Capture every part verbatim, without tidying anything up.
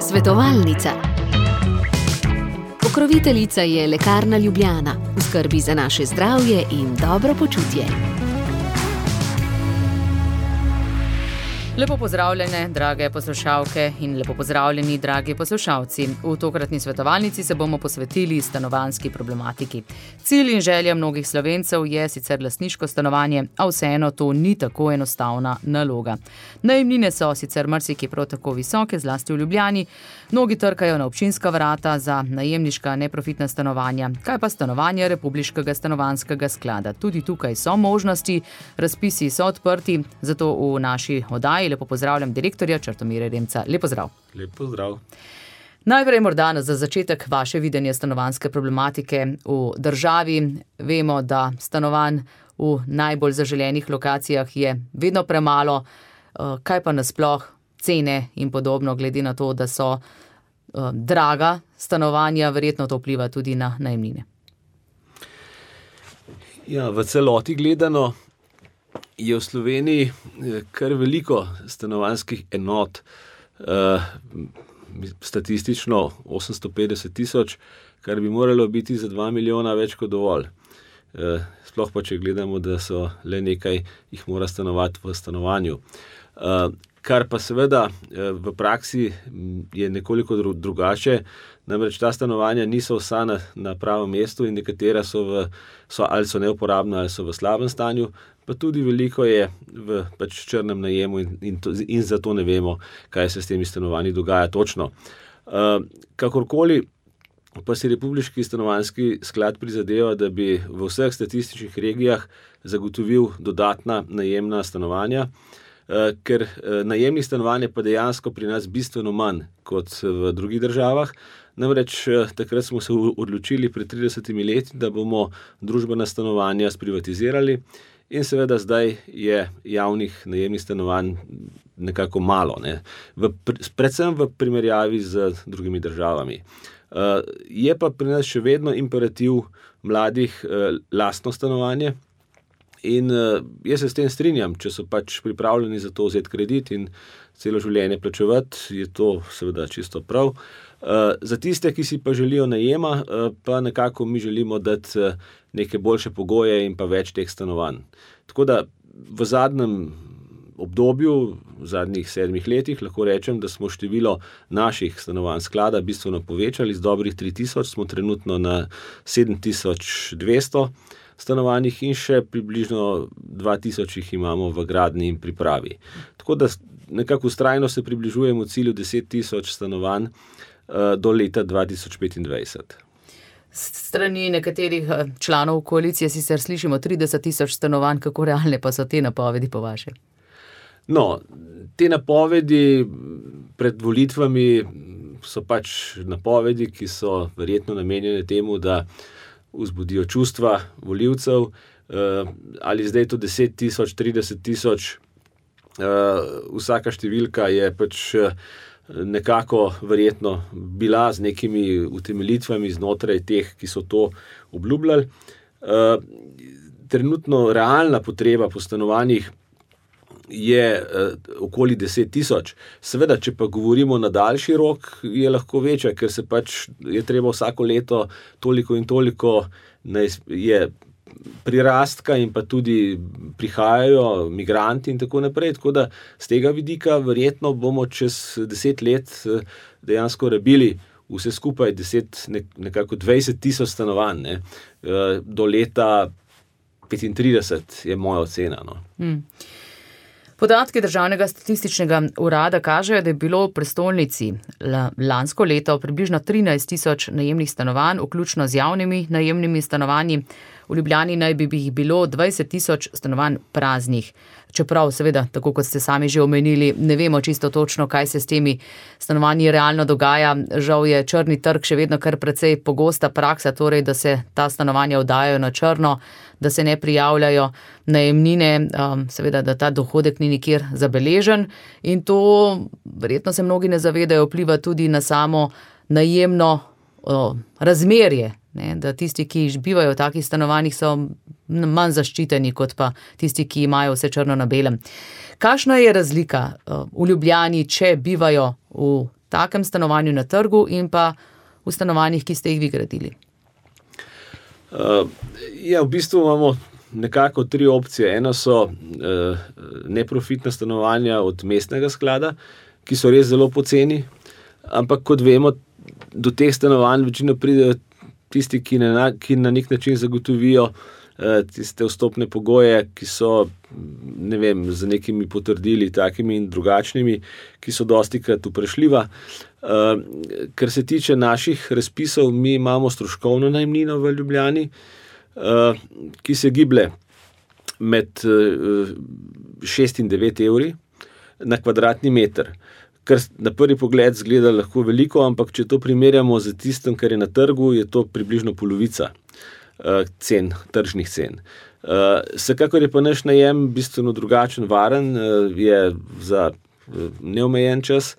Svetovalnica. Pokroviteljica je Lekarna Ljubljana, v skrbi za naše zdravje in dobro počutje. Lepo pozdravljene, drage poslušalke in lepo pozdravljeni, dragi poslušalci. V tokratni svetovalnici se bomo posvetili stanovanjski problematiki. Cilj in želja mnogih Slovencev je sicer lastniško stanovanje, a vseeno to ni tako enostavna naloga. Najemnine so sicer marsikje prav tako visoke, zlasti v Ljubljani. Mnogi trkajo na občinska vrata za najemniška neprofitna stanovanja. Kaj pa stanovanja Republiškega stanovanjskega sklada? Tudi tukaj so možnosti, razpisi so odprti, zato v naši oddaji lepo pozdravljam direktorja Črtomira Remca. Lep pozdrav. Lep pozdrav. Najprej morda za začetek vaše videnje stanovanjske problematike v državi. Vemo, da stanovanj v najbolj zaželenih lokacijah je vedno premalo. Kaj pa nasploh cene in podobno, glede na to, da so draga stanovanja, verjetno to vpliva tudi na najemnine? Ja, v celoti gledano je v Sloveniji kar veliko stanovanjskih enot, uh, statistično osemsto petdeset tisoč, kar bi moralo biti za dva milijona več kot dovolj. Uh, sploh pa, če gledamo, da so le nekaj jih mora stanovati v stanovanju. Uh, kar pa seveda uh, v praksi je nekoliko dru- drugače, namreč ta stanovanja niso vsa na, na pravem mestu in nekatera so, v, so ali so neuporabna ali so v slabem stanju, pa tudi veliko je v pač črnem najemu in, in, to, in zato ne vemo, kaj se s temi stanovanji dogaja točno. Uh, kakorkoli pa si Republiški stanovanjski sklad prizadeva, da bi v vseh statističnih regijah zagotovil dodatna najemna stanovanja, uh, ker uh, najemnih stanovanj je pa dejansko pri nas bistveno manj kot v drugih državah. Namreč takrat smo se odločili pred tridesetimi leti, da bomo družbena stanovanja sprivatizirali. In seveda zdaj je javnih najemnih stanovanj nekako malo, ne? V, predvsem v primerjavi z drugimi državami. Uh, je pa pri nas še vedno imperativ mladih uh, lastno stanovanje in uh, jaz se s tem strinjam, če so pač pripravljeni za to vzeti kredit in celo življenje plačevati, je to seveda čisto prav. Uh, za tiste, ki si pa želijo najema, uh, pa nekako mi želimo dati uh, neke boljše pogoje in pa več teh stanovanj. Tako da v zadnjem obdobju, v zadnjih sedmih letih, lahko rečem, da smo število naših stanovanj sklada bistveno povečali, z dobrih tri tisoč smo trenutno na sedem tisoč dvesto stanovanjih in še približno dva tisoč jih imamo v gradnji in pripravi. Tako da nekako vztrajno se približujemo cilju deset tisoč stanovanj uh, do leta dva tisoč petindvajset. Strani nekaterih članov koalicije sicer slišimo trideset tisoč stanovanj, kako realne pa so te napovedi po vaše? No, te napovedi pred volitvami so pač napovedi, ki so verjetno namenjene temu, da vzbudijo čustva volivcev, ali zdaj to deset tisoč, trideset tisoč, vsaka številka je pač nekako verjetno bila z nekimi utemeljitvami znotraj teh, ki so to obljubljali. Trenutno realna potreba po stanovanjih je okoli deset tisoč. Seveda, če pa govorimo na daljši rok, je lahko večja, ker se pač je treba vsako leto toliko in toliko je prirastka in pa tudi prihajajo migranti in tako naprej, tako da z tega vidika verjetno bomo čez deset let dejansko rabili vse skupaj deset, nekako dvajset tisoč stanovanj, ne? Do leta petintrideset je moja ocena. No. Hmm. Podatki Državnega statističnega urada kažejo, da je bilo v prestolnici lansko leto približno trinajst tisoč najemnih stanovanj, vključno z javnimi najemnimi stanovanji. V Ljubljani naj bi jih bilo dvajset tisoč stanovanj praznih. Čeprav seveda, tako kot ste sami že omenili, ne vemo čisto točno, kaj se s temi stanovanji realno dogaja. Žal je črni trg še vedno kar precej pogosta praksa, torej, da se ta stanovanja oddajajo na črno, da se ne prijavljajo najemnine, um, seveda, da ta dohodek ni nikjer zabeležen in to, verjetno se mnogi ne zavedajo, vpliva tudi na samo najemno o, razmerje ne, da tisti, ki bivajo v takih stanovanjih, so manj zaščiteni, kot pa tisti, ki imajo vse črno na belem. Kakšna je razlika v Ljubljani, če bivajo v takem stanovanju na trgu in pa v stanovanjih, ki ste jih vi gradili? Uh, ja, v bistvu imamo nekako tri opcije. Eno so uh, neprofitna stanovanja od mestnega sklada, ki so res zelo poceni, ampak kot vemo, do teh stanovanj večino pridejo tisti, ki na, ki na nek način zagotovijo uh, tiste vstopne pogoje, ki so, ne vem, z nekimi potrdili, takimi in drugačnimi, ki so dostikrat vprašljiva. Uh, kar se tiče naših razpisov, mi imamo stroškovno najemnino v Ljubljani, Uh, ki se giblje med uh, šest in devet evri na kvadratni meter, kar na prvi pogled zgleda lahko veliko, ampak če to primerjamo z tistim, kar je na trgu, je to približno polovica uh, cen, tržnih cen. Uh, vsekakor je pa naš najem bistveno drugačen, varen, uh, je za uh, neomejen čas,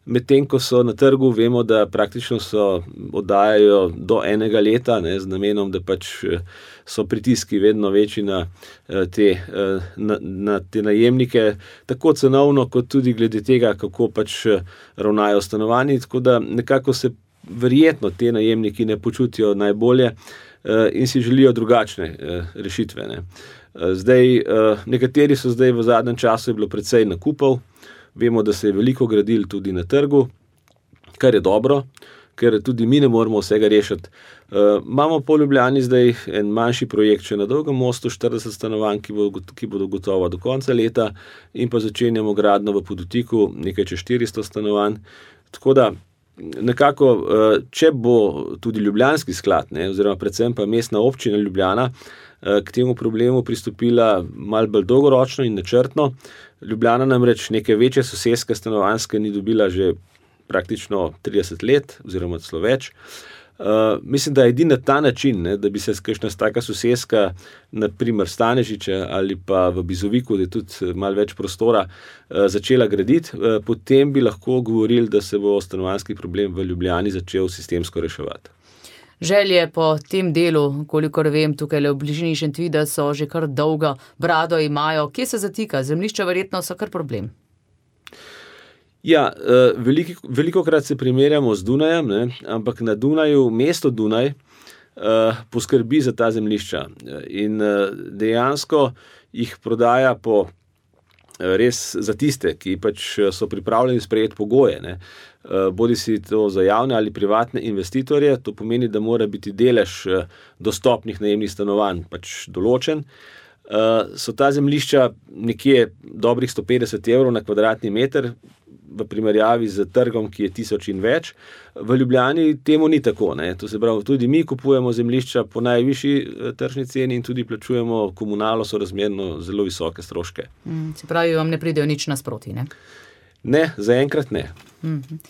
medtem ko so na trgu, vemo, da praktično so oddajajo do enega leta, ne, z namenom, da pač so pritiski vedno večji na te, na, na te najemnike, tako cenovno, kot tudi glede tega, kako pač ravnajo stanovanji, tako da nekako se verjetno te najemniki ne počutijo najbolje in si želijo drugačne rešitve. Ne. Zdaj, nekateri so zdaj v zadnjem času je bilo precej nakupov. Vemo, da se je veliko gradil tudi na trgu, kar je dobro, ker tudi mi ne moremo vsega rešiti. Uh, imamo po Ljubljani zdaj en manjši projekt še na Dolgem mostu, štirideset stanovanj, ki, bo, ki bodo gotova do konca leta, in pa začenjamo gradnjo v Podutiku, nekaj čez štiristo stanovanj. Tako da nekako, uh, če bo tudi Ljubljanski sklad, ne, oziroma predvsem pa mestna občina Ljubljana, uh, k temu problemu pristopila malo bolj dolgoročno in načrtno. Ljubljana namreč neke večje soseske stanovanjske ni dobila že praktično trideset let, oziroma celo več. Uh, mislim, da je edini na ta način, ne, da bi se kakšna taka soseska, naprimer Stanežiče ali pa v Bizoviku, da je tudi malo več prostora, uh, začela graditi, uh, potem bi lahko govorili, da se bo stanovanjski problem v Ljubljani začel sistemsko reševati. Želje po tem delu, kolikor vem, tukaj v bližini Šentvida so že kar dolgo brado imajo. Kje se zatika? Zemljišča verjetno so kar problem. Ja, veliko, veliko krat se primerjamo z Dunajem, ne, ampak na Dunaju, mesto Dunaj, poskrbi za ta zemljišča in dejansko jih prodaja po res za tiste, ki pač so pripravljeni sprejeti pogoje, ne. Bodi si to za javne ali privatne investitorje, to pomeni, da mora biti delež dostopnih najemnih stanovanj pač določen. So ta zemljišča nekje dobrih sto petdeset evrov na kvadratni meter, v primerjavi z trgom, ki je tisoč in več. V Ljubljani temu ni tako, ne. To se pravi, tudi mi kupujemo zemljišča po najvišji tržni ceni in tudi plačujemo komunalo sorazmerno zelo visoke stroške. Mm, se pravi, vam ne pridejo nič nasproti, ne? Ne, zaenkrat ne. Mm-hmm.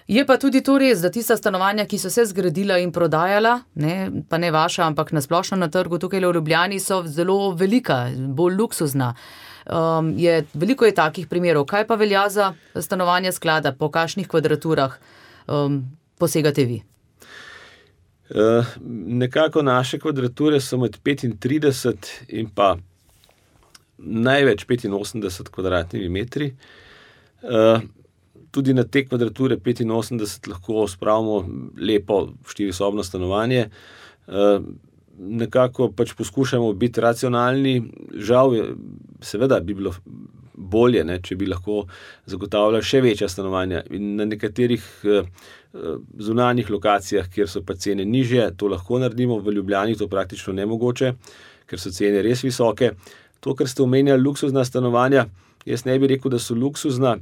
Je pa tudi to res, da tista stanovanja, ki so se zgradila in prodajala, ne, pa ne vaša, ampak nasplošno na trgu tukaj v Ljubljani, so zelo velika, bolj luksuzna. Um, je, veliko je takih primerov. Kaj pa velja za stanovanja sklada? Po kakšnih kvadraturah um, posegate vi? Uh, nekako naše kvadrature so med petintrideset in pa največ petinosemdeset kvadratnimi metri. Uh, tudi na te kvadrature petinosemdeset lahko spravimo lepo štirisobno stanovanje. Uh, nekako pač poskušamo biti racionalni. Žal, seveda bi bilo bolje, ne, če bi lahko zagotavljali še večja stanovanja. In na nekaterih uh, zunanjih lokacijah, kjer so pa cene nižje, to lahko naredimo. V Ljubljani to praktično nemogoče, ker so cene res visoke. To, kar ste omenjali, luksuzna stanovanja, jaz ne bi rekel, da so luksuzna.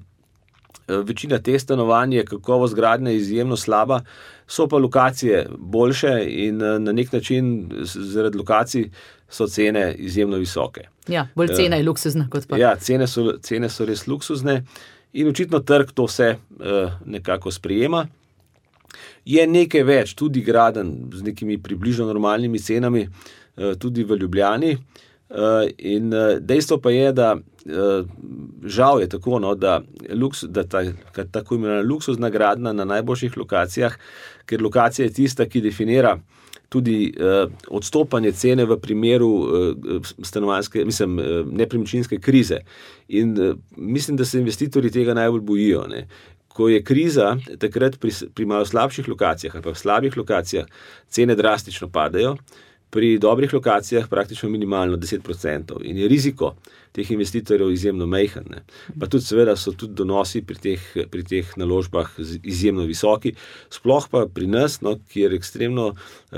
Večina teh stanovanj je kakovost gradnje izjemno slaba, so pa lokacije boljše in na nek način zaradi lokacij so cene izjemno visoke. Ja, bolj cena je luksuzna kot pa. Ja, cene so, cene so res luksuzne in očitno trg to vse uh, nekako sprejema. Je nekaj več, tudi graden z nekimi približno normalnimi cenami, uh, tudi v Ljubljani. In dejstvo pa je, da žal je tako, no, da, luks, da ta tako imenovana luksuzna gradnja na najboljših lokacijah, ker lokacija je tista, ki definira tudi uh, odstopanje cene v primeru uh, stanovanjske, mislim, uh, nepremičninske krize. In uh, mislim, da se investitorji tega najbolj bojijo, ne. Ko je kriza, takrat pri, pri malo slabših lokacijah ali pa v slabih lokacijah cene drastično padajo, pri dobrih lokacijah praktično minimalno deset procentov in je riziko teh investitorjev izjemno majhen. Ne. Pa tudi seveda so tudi donosi pri teh, pri teh naložbah izjemno visoki, sploh pa pri nas, no, kjer ekstremno,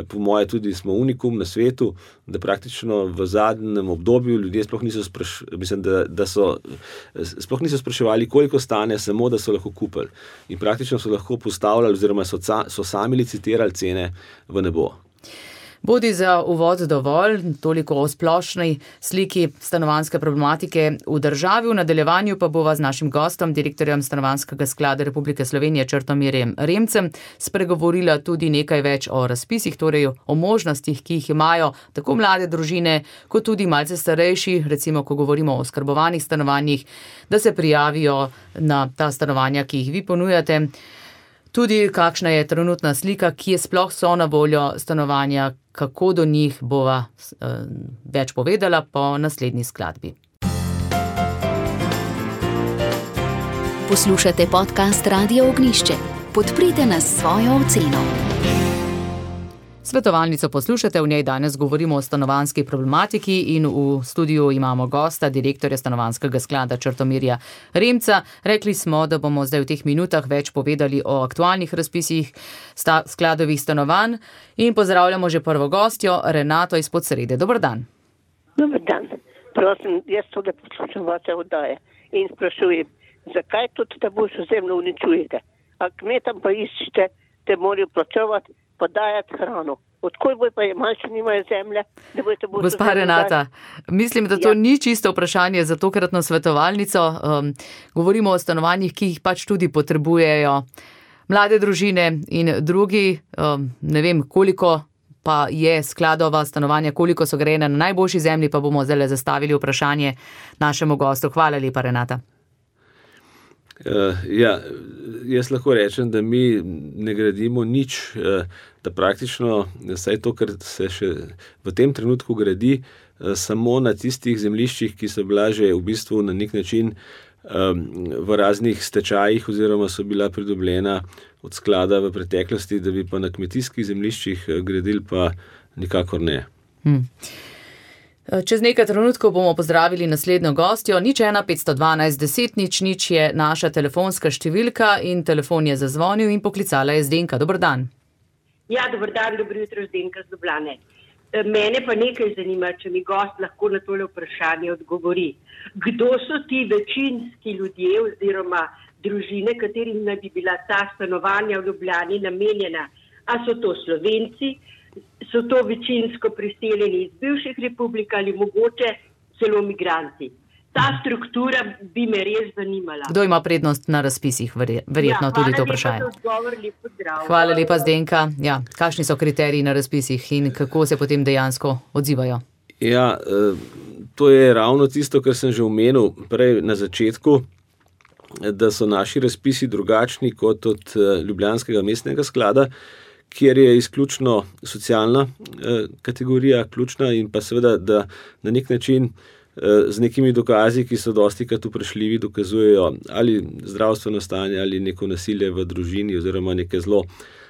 po moje tudi smo unikum na svetu, da praktično v zadnjem obdobju ljudje sploh niso, spraš, mislim, da, da so, sploh niso spraševali, koliko stane, samo da so lahko kupili. In praktično so lahko postavljali oziroma so, so sami licitirali cene v nebo. Bodi za uvod dovolj, toliko o splošnej sliki stanovanjske problematike v državi. V nadaljevanju pa bova z našim gostom, direktorjem Stanovanjskega sklada Republike Slovenije Črtomirjem Remcem, spregovorila tudi nekaj več o razpisih, torej o možnostih, ki jih imajo tako mlade družine, kot tudi malce starejši, recimo, ko govorimo o oskrbovanih stanovanjih, da se prijavijo na ta stanovanja, ki jih vi ponujate. Tudi kakšna je trenutna slika, kje sploh so na voljo stanovanja, kako do njih bova uh, več povedala po naslednji skladbi. Poslušate podcast Radia Ognjišče. Podprite nas s svojo oceno. Svetovalnico poslušate, v njej danes govorimo o stanovanjski problematiki in v studiu imamo gosta, direktorja Stanovanjskega sklada Črtomirja Remca. Rekli smo, da bomo zdaj v teh minutah več povedali o aktualnih razpisih sta, skladovih stanovanj in pozdravljamo že prvo gostjo, Renato iz Podsrede. Dobar dan. Dobar dan. Prosim, jaz tudi poslušam vaše oddaje in sprašujem, zakaj tudi ta boljšo zemljo uničujete? A kmetam pa iščete, te morajo plačevati, podajati hrano. Odkoj boj pa je malce nimajo zemlje? Gospa Renata, mislim, da to ja. Ni čisto vprašanje za tokratno svetovalnico. Um, govorimo o stanovanjih, ki jih pač tudi potrebujejo mlade družine in drugi. Um, ne vem, koliko pa je skladova stanovanja, koliko so grejene na najboljši zemlji, pa bomo zdaj zastavili vprašanje našemu gostu. Hvala lepa, Renata. Uh, ja, jaz lahko rečem, da mi ne gradimo nič, uh, da praktično vsaj to, kar se še v tem trenutku gradi, uh, samo na tistih zemljiščih, ki so bila že v bistvu na nek način um, v raznih stečajih oziroma so bila pridobljena od sklada v preteklosti, da bi pa na kmetijskih zemljiščih gradili, pa nikakor ne. Hmm. Čez nekaj trenutkov bomo pozdravili naslednjo gostjo. Nič ena petsto dvanajst deset nič nič je naša telefonska številka in telefon je zazvonil in poklicala je Zdenka. Dobar dan. Ja, dobar dan, dobro jutro, Zdenka z Ljubljane. Mene pa nekaj zanima, če mi gost lahko na tole vprašanje odgovori. Kdo so ti večinski ljudje oziroma družine, katerim naj bi bila ta stanovanja v Ljubljani namenjena? A so to Slovenci? So to večinsko priseljeni iz bivših republik ali mogoče celo migranti. Ta struktura bi me res zanimala. Kdo ima prednost na razpisih, verjetno ja, tudi to vprašanje. Odgovor, lepo zdrav. Hvala lepa, Zdenka. Ja, kakšni so kriteriji na razpisih in kako se potem dejansko odzivajo? Ja, to je ravno tisto, kar sem že omenil prej na začetku, da so naši razpisi drugačni kot od Ljubljanskega mestnega sklada, kjer je izključno socialna eh, kategorija ključna in pa seveda, da na nek način eh, z nekimi dokazi, ki so dostikrat vprašljivi, dokazujejo ali zdravstveno stanje ali neko nasilje v družini oziroma neke zelo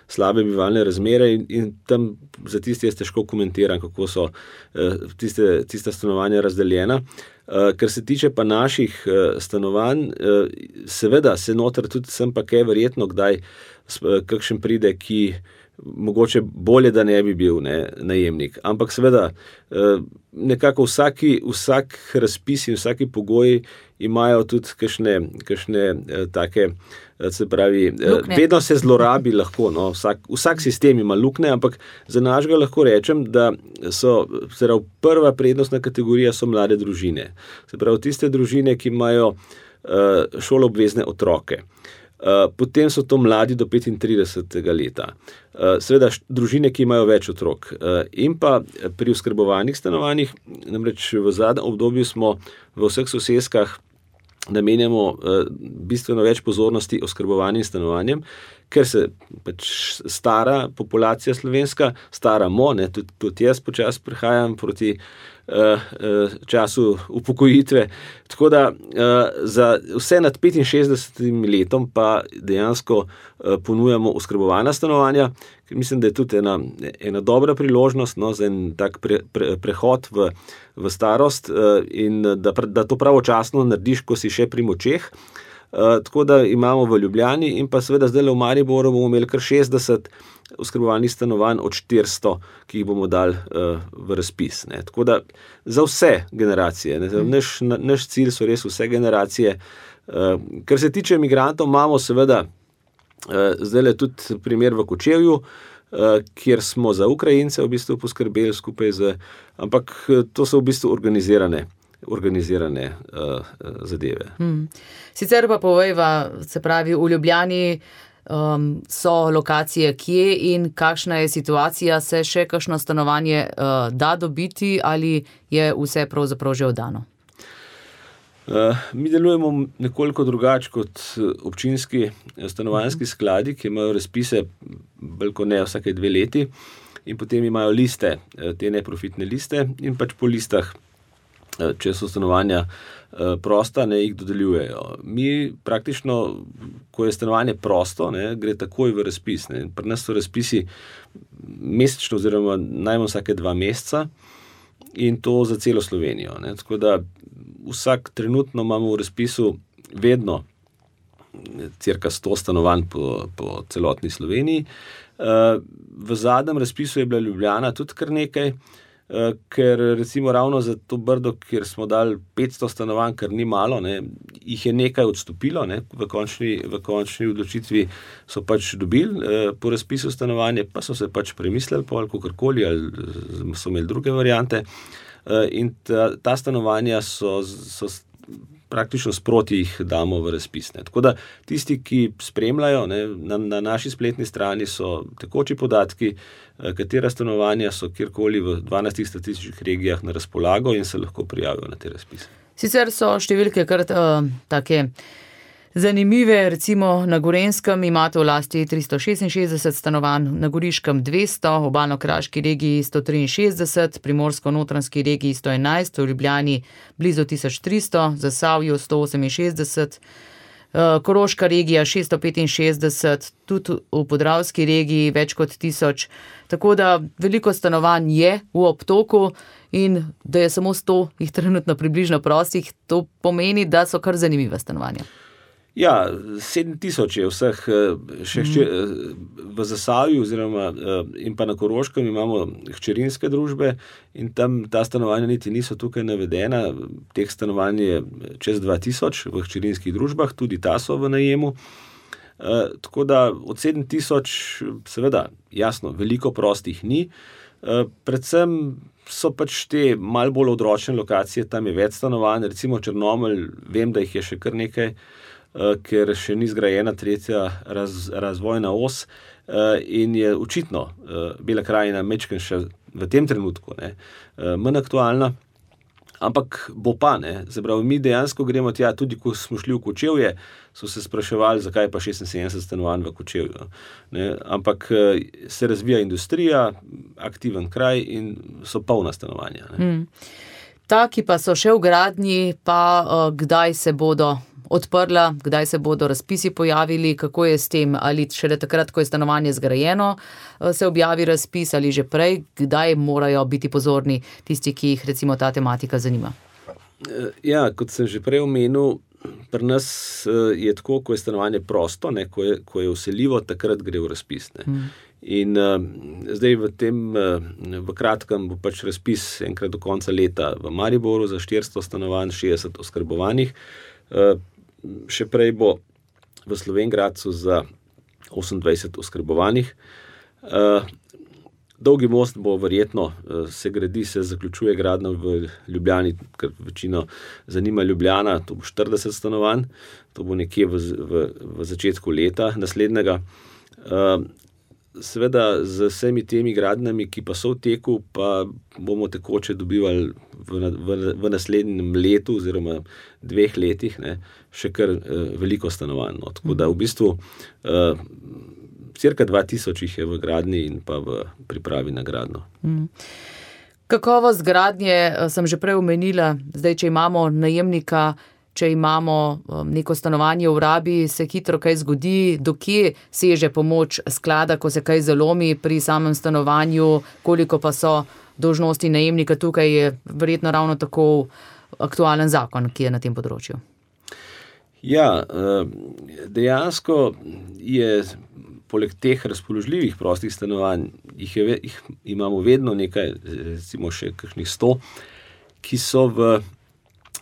slabe bivalne razmere in, in tam za tiste jaz težko komentiram, kako so eh, tiste, tiste stanovanja razdeljena. Uh, kar se tiče pa naših uh, stanovanj, uh, seveda se noter tudi sem pa kaj verjetno kdaj uh, kakšen pride, ki mogoče bolje, da ne bi bil ne, najemnik. Ampak seveda uh, nekako vsaki, vsak razpis in vsaki pogoji imajo tudi kakšne, kakšne uh, take, uh, se pravi, uh, vedno se zlorabi lahko, no, vsak, vsak sistem ima lukne, ampak za našega lahko rečem, da so, se pravi, prva prednostna kategorija so mlade družine. Se pravi, tiste družine, ki imajo uh, šoloobvezne otroke. potem so to mladi do petintridesetega leta. Seveda družine, ki imajo več otrok. In pa pri oskrbovanih stanovanjih, namreč v zadnjem obdobju smo v vseh soseskah namenjamo bistveno več pozornosti oskrbovanim stanovanjem, ker se pač stara populacija slovenska, staramo, ne, tudi, tudi jaz počasi prehajam proti uh, uh, času upokojitve, tako da uh, za vse nad petinšestdesetim letom pa dejansko uh, ponujamo oskrbovana stanovanja, ker mislim, da je tudi ena, ena dobra priložnost, no, za en tak pre, pre, prehod v, v starost uh, in da, da to pravočasno narediš, ko si še pri močeh. Uh, tako da imamo v Ljubljani in pa seveda zdaj v Mariboru bomo imeli kar šestdeset oskrbovanih stanovanj od štiristo, ki jih bomo dali uh, v razpis. Ne. Tako da za vse generacije, ne. Naš, naš cilj so res vse generacije. Uh, kar se tiče migrantov, imamo seveda uh, zdaj tudi primer v Kočevju, uh, kjer smo za Ukrajince v bistvu poskrbeli skupaj z, ampak to so v bistvu organizirane organizirane uh, zadeve. Hmm. Sicer pa povejva, se pravi, v Ljubljani um, so lokacije kje in kakšna je situacija, se še kakšno stanovanje uh, da dobiti ali je vse pravzaprav že oddano? Uh, mi delujemo nekoliko drugače kot občinski stanovanjski skladi, ki imajo razpise bolj kot ne vsake dve leti in potem imajo liste, te neprofitne liste in pač po listah, če so stanovanja prosta, ne, jih dodeljujejo. Mi praktično, ko je stanovanje prosto, ne, gre takoj v razpis. Ne. Pri nas so razpisi mesečno oziroma najmanj vsake dva meseca in to za celo Slovenijo. Ne. Tako da vsak trenutno imamo v razpisu vedno cirka sto stanovanj po, po celotni Sloveniji. V zadnjem razpisu je bila Ljubljana tudi kar nekaj, ker recimo ravno za to Brdo, kjer smo dali petsto stanovanj, kar ni malo, ne, jih je nekaj odstopilo, ne, v končni, v končni odločitvi so pač dobili eh, po razpisu stanovanje, pa so se pač premislili po ali kakorkoli, ali so imeli druge variante eh, in ta, ta stanovanja so, so praktično sproti jih damo v razpis. Ne. Tako da tisti, ki spremljajo, ne, na, na naši spletni strani so tekoči podatki, katera stanovanja so kjerkoli v dvanajstih statističnih regijah na razpolago in se lahko prijavijo na te razpise. Sicer so številke kar uh, take zanimive, recimo na Gorenjskem imate v lasti tristo šestinšestdeset stanovanj, na Goriškem dvesto, v Obalno-kraški regiji sto triinšestdeset, Primorsko-notranjski regiji sto enajst, v Ljubljani blizu tisoč tristo, Zasavju sto oseminšestdeset, Koroška regija šeststo petinšestdeset, tudi v Podravski regiji več kot tisoč. Tako da veliko stanovanj je v obtoku in da je samo sto jih trenutno približno prostih, to pomeni, da so kar zanimiva stanovanja. Ja, sedem tisoč je vseh, še hče, v Zasavju oziroma in pa na Koroškem imamo hčerinske družbe in tam ta stanovanja niti niso tukaj navedena. Teh stanovanj je čez dva tisoč v hčerinskih družbah, tudi ta so v najemu. Tako da od sedem tisoč, seveda, jasno, veliko prostih ni. Predvsem so pač te malo bolj odročne lokacije, tam je več stanovanj, recimo Črnomelj, vem, da jih je še kar nekaj, ker še ni zgrajena tretja raz, razvojna os in je očitno Bela krajina mečken še v tem trenutku ne, manj aktualna, ampak bo pa, ne, zaprav, mi dejansko gremo tja, tudi ko smo šli v Kočevje, so se spraševali, zakaj pa šestinsedemdeset stanovanj v Kočevju. Ne, ampak se razvija industrija, aktiven kraj in so polna stanovanja. Ne. Hmm. Ta, ki pa so še v gradnji, pa uh, kdaj se bodo odprla, kdaj se bodo razpisi pojavili, kako je s tem, ali šele takrat, ko je stanovanje zgrajeno, se objavi razpis ali že prej, kdaj morajo biti pozorni tisti, ki jih recimo ta tematika zanima? Ja, kot sem že prej omenil, pri nas je tako, ko je stanovanje prosto, ne, ko je, ko je vseljivo, takrat gre v razpis. Ne. Hmm. In uh, zdaj v tem, uh, v kratkem bo pač razpis enkrat do konca leta v Mariboru za štiristo stanovanj, šestdeset oskrbovanih. Uh, še prej bo v Slovenj Gradcu za osemindvajset oskrbovanih. Uh, Dolgi most bo verjetno, se gradi, se zaključuje gradnja v Ljubljani, ker večino zanima Ljubljana, to bo štirideset stanovanj, to bo nekje v, v, v začetku leta naslednjega. Seveda z vsemi temi gradnjami, ki pa so v teku, pa bomo tekoče dobivali v, v, v naslednjem letu oziroma dveh letih, ne, še kar uh, veliko stanovanj. No. Tako da v bistvu uh, cirka dva tisoč jih je v gradnji in pa v pripravi na gradnjo. Mm. Kakovost gradnje sem že prej omenila, zdaj, če imamo najemnika, če imamo neko stanovanje v rabi, se hitro kaj zgodi, dokje seže pomoč sklada, ko se kaj zalomi pri samem stanovanju, koliko pa so dolžnosti najemnika, tukaj je verjetno ravno tako aktualen zakon, ki je na tem področju. Ja, dejansko je poleg teh razpoložljivih prostih stanovanj, jih, je, jih imamo vedno nekaj, recimo še kakšnih sto, ki so v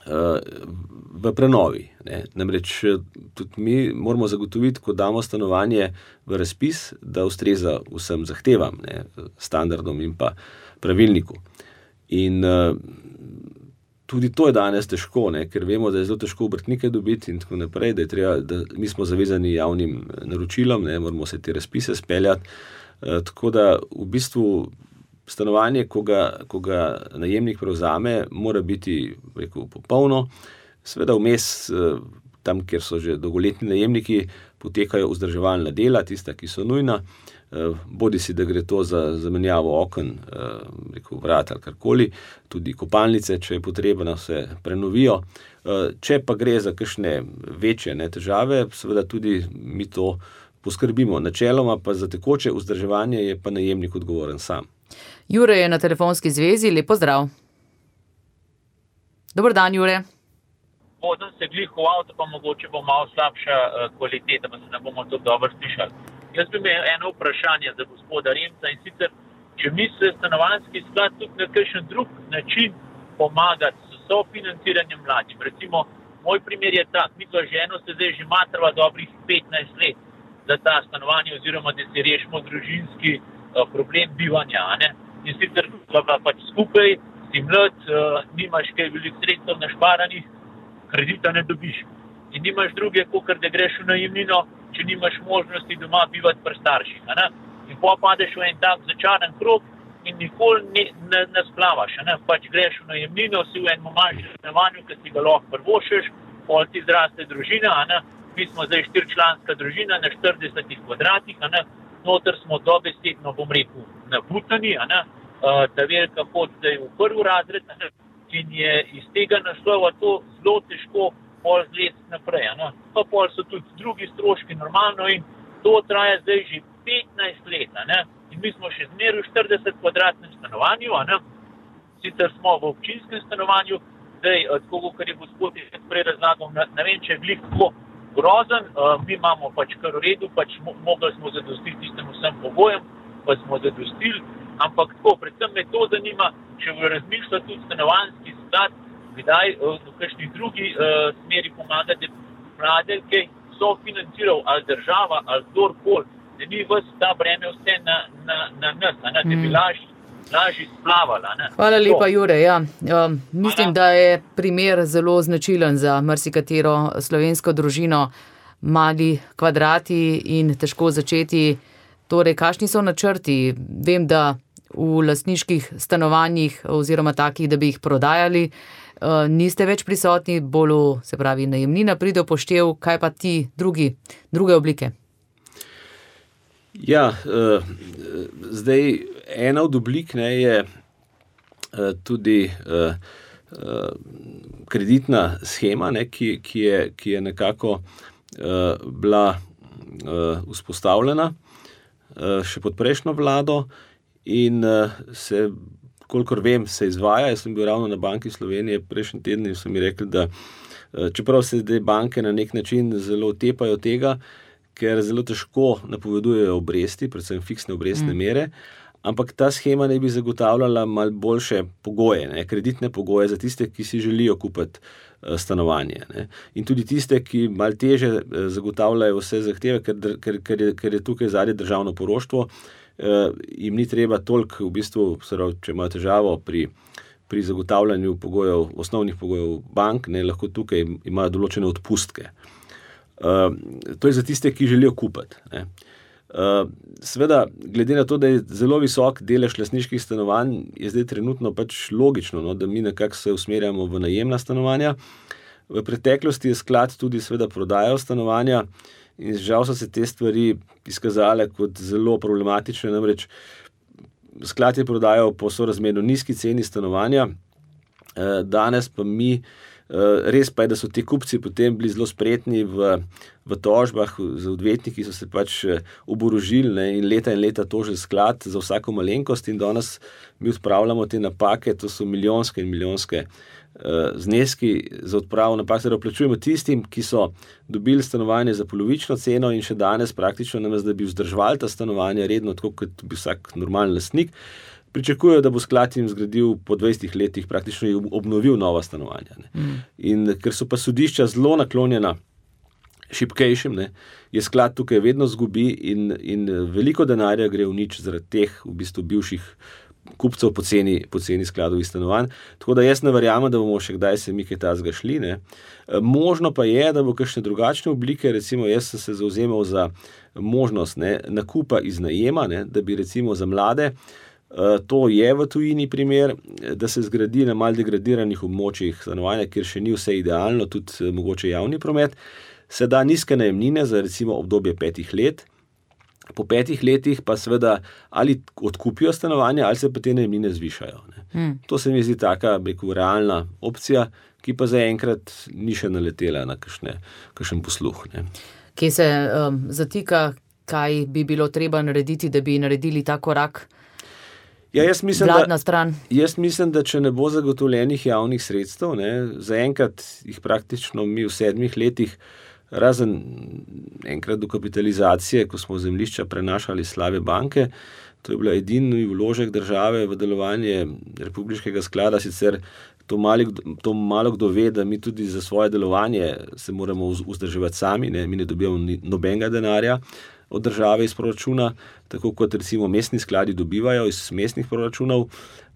v prenovi. Ne. Namreč tudi mi moramo zagotoviti, ko damo stanovanje v razpis, da ustreza vsem zahtevam, ne, standardom in pa pravilniku. In uh, tudi to je danes težko, ne, ker vemo, da je zelo težko obrtnike dobiti in tako naprej, da je treba, da mi smo zavezani javnim naročilom, ne, moramo se te razpise speljati. Uh, tako da v bistvu stanovanje, ko ga, ko ga najemnik prevzame, mora biti, rekel, popolno. Seveda vmes, tam, kjer so že dolgoletni najemniki, potekajo vzdrževalna dela, tista, ki so nujna, bodi si, da gre to za zamenjavo oken, rekel, vrat ali karkoli, tudi kopalnice, če je potrebno, se prenovijo. Če pa gre za kakšne večje, ne, težave, seveda tudi mi to poskrbimo. Načeloma pa za tekoče vzdrževanje je pa najemnik odgovoren sam. Jure je na telefonski zvezi, lepo zdrav. Dobar dan, Jure. Vozim se glih v avto, pa mogoče bo malo slabša uh, kvaliteta, pa se ne bomo to dobro slišali. Jaz bi imel eno vprašanje za gospoda Remca in sicer, če misli stanovanjski sklad tudi na kakšen drug način pomagati s sofinanciranjem mladim. Recimo, moj primer je tak, mi to ženo se zdaj že matrava dobrih petnajst let za ta stanovanje oziroma da si rešimo družinski uh, problem bivanja, ne? In sicer pa pač skupaj, si mlad, uh, nimaš kaj veliko sredstev našparanih, kredita ne dobiš. In nimaš druge, kakor da greš v najemnino, če nimaš možnosti doma bivati pri starših. Ne? In pa padeš v en tak začaran krog in nikoli ne, ne, ne splavaš. Ne? Pač greš v najemnino, si v enem manjšem stanovanju, ki si ga lahko prvošeš, pol ti zraste družina. Ne? Mi smo zdaj štiričlanska družina na štiridesetih kvadratih. Ne? Noter smo dobesedno, bom rekel, nabutani. Uh, ta velika pot zdaj v prvi razred. Ne? In je iz tega naslova to zelo težko pol zlesti naprej. Ne? Pa pol so tudi drugi stroški normalno in to traja zdaj že petnajst let. Ne? In mi smo še zmeraj v štirideset kvadratnem stanovanju, ne? Sicer smo v občinskem stanovanju, zdaj, tako kot je gospod prej razlagal, ne, ne vem, če je glih tako grozen, uh, mi imamo pač kar v redu, pač mo- mogli smo zadostiti tistem vsem pogojem, pa smo zadostili, ampak tako, predvsem me to zanima, če v razmišlja tudi stanovanjski sklad, kdaj uh, v kakšni drugi uh, smeri pomagate mlade, ki so financiral ali država, ali kdorkoli, da ni vas ta breme vse na, na, na nas, a ne, da bi lažje lažje splavala. Ne? Hvala lepa, Jure. Ja. Um, mislim, da je primer zelo značilen za marsikatero slovensko družino, mali kvadrati in težko začeti. Torej, kakšni so načrti? Vem, da v lastniških stanovanjih oziroma takih, da bi jih prodajali, uh, niste več prisotni, bolj, se pravi, najemnina pride v poštev, kaj pa ti drugi, druge oblike? Ja, uh, zdaj ena od oblik, ne, je uh, tudi uh, uh, kreditna shema, ne, ki, ki, je, ki je nekako uh, bila uh, vzpostavljena uh, še pod prejšnjo vlado in uh, se, kolikor vem, se izvaja. Jaz sem bil ravno na Banki Slovenije prejšnji teden in so mi rekli, da uh, čeprav se zdaj banke na nek način zelo tepajo tega, ker zelo težko napovedujejo obresti, predvsem fiksne obrestne mm. mere, ampak ta shema naj bi zagotavljala malo boljše pogoje, ne, kreditne pogoje za tiste, ki si želijo kupiti uh, stanovanje. Ne. In tudi tiste, ki malo teže uh, zagotavljajo vse zahteve, ker, ker, ker, je, ker je tukaj zadnje državno poroštvo, jim ni treba toliko, v bistvu, če imajo težavo pri, pri zagotavljanju pogojev, osnovnih pogojev bank, ne, lahko tukaj imajo določene odpustke. Uh, to je za tiste, ki želijo kupiti. Ne. Uh, seveda, glede na to, da je zelo visok delež lastniških stanovanj, je zdaj trenutno pač logično, no, da mi nekako se usmerjamo v najemna stanovanja. V preteklosti je sklad tudi seveda prodajal stanovanja in žal so se te stvari izkazale kot zelo problematične, namreč sklad je prodajal po sorazmerno nizki ceni stanovanja, danes pa mi, res pa je, da so ti kupci potem bili zelo spretni v, v tožbah, z odvetniki so se pač oborožili, ne, in leta in leta tožili sklad za vsako malenkost in danes mi odpravljamo te napake, to so milijonske in milijonske zneski za odpravo napak, da plačujemo tistim, ki so dobili stanovanje za polovično ceno in še danes praktično namesto, da bi vzdrževali ta stanovanja redno, tako kot bi vsak normalen lastnik, pričakujejo, da bo sklad jim zgradil po dvajsetih letih, praktično obnovil nova stanovanja. Ne. Mm. In ker so pa sodišča zelo naklonjena šibkejšim, ne, je sklad tukaj vedno zgubi in, in veliko denarja gre v nič zaradi teh v bistvu bivših kupcev po ceni, po ceni skladovih stanovanj. Tako da jaz ne verjamem, da bomo še kdaj se mi kaj tazga šli. Ne. Možno pa je, da bo kakšne drugačne oblike, recimo jaz sem se zavzemal za možnost, ne, nakupa iz najema, ne, da bi recimo za mlade, to je v tujini primer, da se zgradi na malo degradiranih območjih stanovanja, kjer še ni vse idealno, tudi mogoče javni promet, se da nizke najemnine za recimo obdobje petih let. Po petih letih pa seveda ali odkupijo stanovanja, ali se pa te najemnine zvišajo. Ne. Hmm. To se mi zdi taka, rekel, realna opcija, ki pa zaenkrat ni še naletela na kakšne, kakšen posluh. Ne. Kje se um, zatika, kaj bi bilo treba narediti, da bi naredili ta korak? Ja, jaz mislim, vladna da, stran. Jaz mislim, da če ne bo zagotovljenih javnih sredstev, ne, zaenkrat jih praktično mi v sedmih letih, razen enkrat dokapitalizacije, ko smo zemljišča prenašali slabe banke, to je bila edini vložek države v delovanje republiškega sklada, sicer to, mali, to malo kdo ve, da mi tudi za svoje delovanje se moramo vzdrževati sami, ne, mi ne dobijamo nobenega denarja od države iz proračuna, tako kot recimo mestni skladi dobivajo iz mestnih proračunov.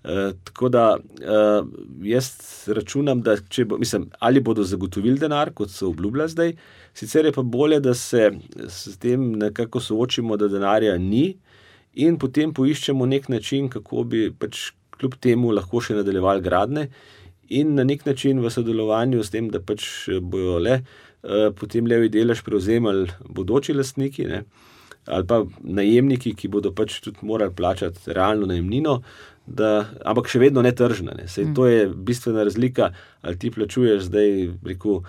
Uh, tako da uh, jaz računam, da če bo, mislim, ali bodo zagotovili denar, kot so obljubljali zdaj, sicer je pa bolje, da se s tem nekako soočimo, da denarja ni in potem poiščemo nek način, kako bi pač kljub temu lahko še nadaljevali gradnje in na nek način v sodelovanju s tem, da pač bojo le uh, potem levi delež prevzemali bodoči lastniki, ne, ali pa najemniki, ki bodo pač tudi morali plačati realno najemnino, da, ampak še vedno ne tržna. Ne. Sej, to je bistvena razlika, ali ti plačuješ zdaj rekel,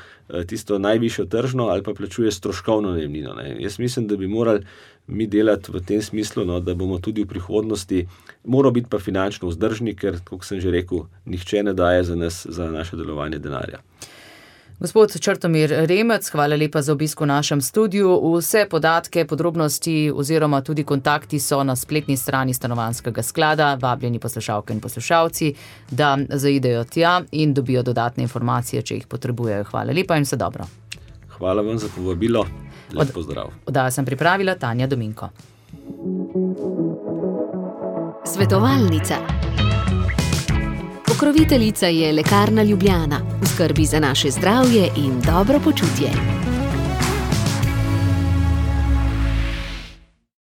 tisto najvišjo tržno ali pa plačuješ stroškovno najemnino. Ne. Jaz mislim, da bi morali mi delati v tem smislu, no, da bomo tudi v prihodnosti morali biti pa finančno vzdržni, ker, kot sem že rekel, nihče ne daje za nas, za naše delovanje denarja. Gospod Črtomir Remec, hvala lepa za obisk v našem studiu. Vse podatke, podrobnosti oziroma tudi kontakti so na spletni strani Stanovanjskega sklada. Vabljeni poslušalke in poslušalci, da zaidejo tja in dobijo dodatne informacije, če jih potrebujejo. Hvala lepa in vse dobro. Hvala vam za povabilo. Lep pozdrav. Oddajo sem pripravila Tanja Dominko. Svetovalnica. Pokroviteljica je Lekarna Ljubljana, v skrbi za naše zdravje in dobro počutje.